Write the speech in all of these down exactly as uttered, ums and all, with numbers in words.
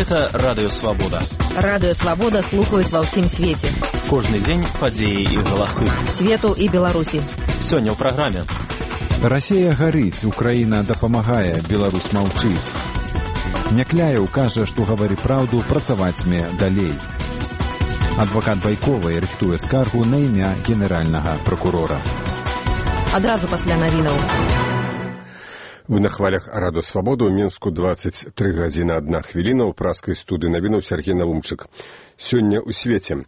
Гэта Радыё Свабода. Радыё Свабода слухаюць ва ўсім свеце. Кожны дзень падзеі і галасы. Свету і Беларусі. Сёння ў праграме. Расія гарыць, Украіна дапамагае, Беларусь маўчыць. Някляеў кажа, што гавары праўду, працаваць мне далей. Адвакат Байковай рыхтуе скаргу на імя генеральнага пракурора. Адразу пасля навінаў. Вы на хвалях Радыё Свабода, у Мінску дваццаць тры гадзіны адна хвіліна, ў праскай студыі навінаў Сергей Навумчык. Сёння ў свеце.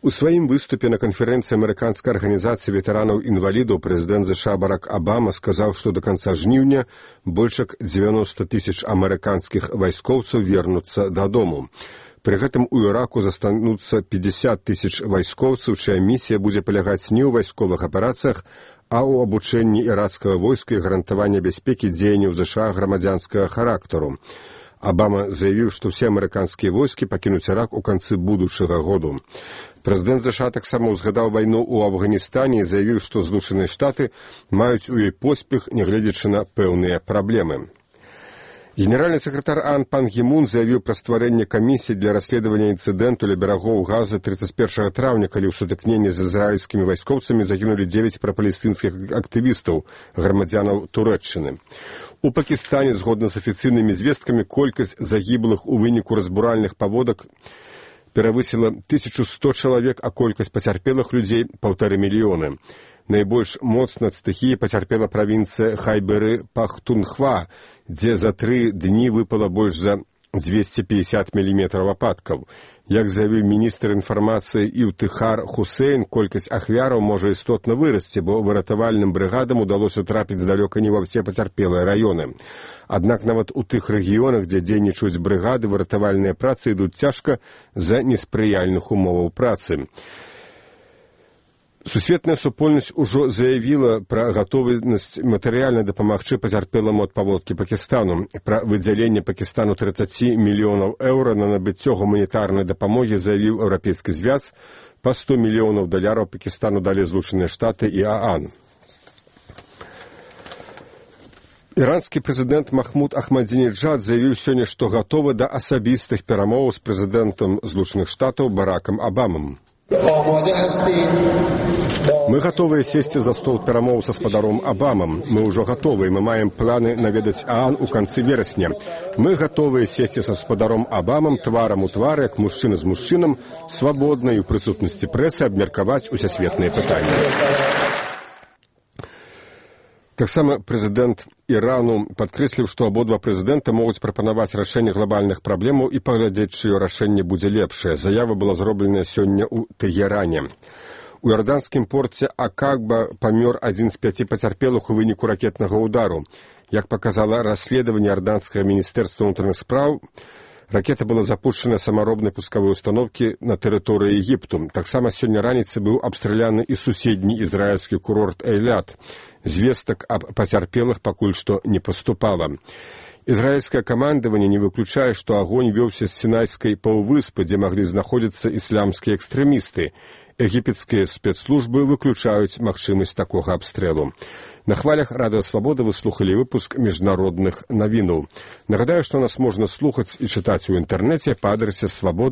У сваім выступе на канферэнцыі амерыканскай арганізацыі ветэранаў-інвалідаў прэзідэнт ЗША Барак Абама сказаў, што да канца жніўня больш як дзевяноста тысяч амерыканскіх вайскоўцаў вернуцца дадому. Пры гэтым у Іраку застануцца пятьдесят тысяч вайскоўцаў, чыя місія будзе палягаць не ў вайсковых аперацыях, а ў абучэнні ірацкага войска і гарантавання бяспекі дзеянняў ЗША грамадзянскага характару. Абама заявіў, што ўсе амерыканскія войскі пакінуць Ірак у канцы будучага году. Прэзідэнт ЗША таксама ўзгадаў вайну ў Афганістане і заявіў, што Злучаныя Штаты маюць у ёй поспех, нягледзячы на пэўныя праблемы. Генеральны сакратар АОН Пан Гі Мун заявіў пра стварэнне камісіі для расследавання інцыдэнту ля берагоў Газы тридцать первого траўня, калі ў сутыкненні з ізраільскімі вайскоўцамі загінулі дзевяць прапалестынскіх актывістаў, грамадзянаў Турэччыны. У Пакістане, згодна з афіцыйнымі звесткамі, колькасць загіблых у выніку разбуральных паводак перавысіла тысячу сто чалавек, а колькасць пацярпелых людзей – паўтары мільёны. Найбольш моцна ад стыхіі пацярпела правінцыя Хайберы-Пахтунхва, дзе за тры дні выпала больш за двести пятьдесят міліметраў ападкаў. Як заявіў міністр інфармацыі Іўтыхар Хусейн, колькасць ахвяраў можа істотна вырасці, бо выратавальным брыгадам удалося трапіць здалёка не ва ўсе пацярпелыя раёны. Аднак нават у тых рэгіёнах, дзе дзейнічаюць брыгады, выратавальныя працы ідуць цяжка з-за неспрыяльных умоваў працы. Сусветная супольнасць ужо заявіла пра гатовасць матэрыяльна дапамагчы пацярпеламу ад паводкі Пакістану. Пра выдзяленне Пакістану тридцать мільёнаў еўра на набыццё гуманітарнай дапамогі заявіў Еўрапейскі звяз. Па сто мільёнаў даляраў Пакістану далі Злучаныя Штаты і ААН. Іранскі прэзідэнт Махмуд Ахмадзінеджад заявіў сёння, што гатовы да асабістых перамоў з прэзідэнтам Злучаных Штатаў Баракам Абамам. Мы гатовыя сесці за стол перамоў са спадаром Абамам. Мы ўжо гатовыя, мы маем планы наведаць ААН у канцы верасня. Мы гатовыя сесці са спадаром Абамам тварам у твар, як мужчына з мужчынам, свабодна і ў прысутнасці прэсы абмеркаваць усесветныя пытанні. Таксама прэзідэнт Ірану падкрэсліў, што абодва прэзідэнта могуць прапанаваць рашэнне глобальных праблемаў і паглядзець, чыё рашэнне будзе лепшае. Заява была зробленая сёння ў Тэгеране. У іорданскім порце Акаба памёр адзін з пяці пацярпелых у выніку ракетнага ўдару. Як паказала расследаванне іорданскага міністэрства ўнутраных спраў, ракета была запущена самаробнай пускавой установкі на тэрыторыі Егіпту. Таксама сёння раніцай быў абстраляны і суседні ізраільскі курорт Эйлят. Звестак аб пацярпелых пакуль што не паступала. Ізраільскае камандаванне не выключае, што агонь вёўся з Сінайскай паўвыспы, дзе маглі знаходзіцца ісламскія экстрэмісты. Егіпецкія спецслужбы выключаюць магчымасць такога абстрэлу. На хвалях Радыё Свабода вы слухалі выпуск міжнародных навінаў. Нагадаю, што нас можна слухаць і чытаць у інтэрнэце па адрасе свабода.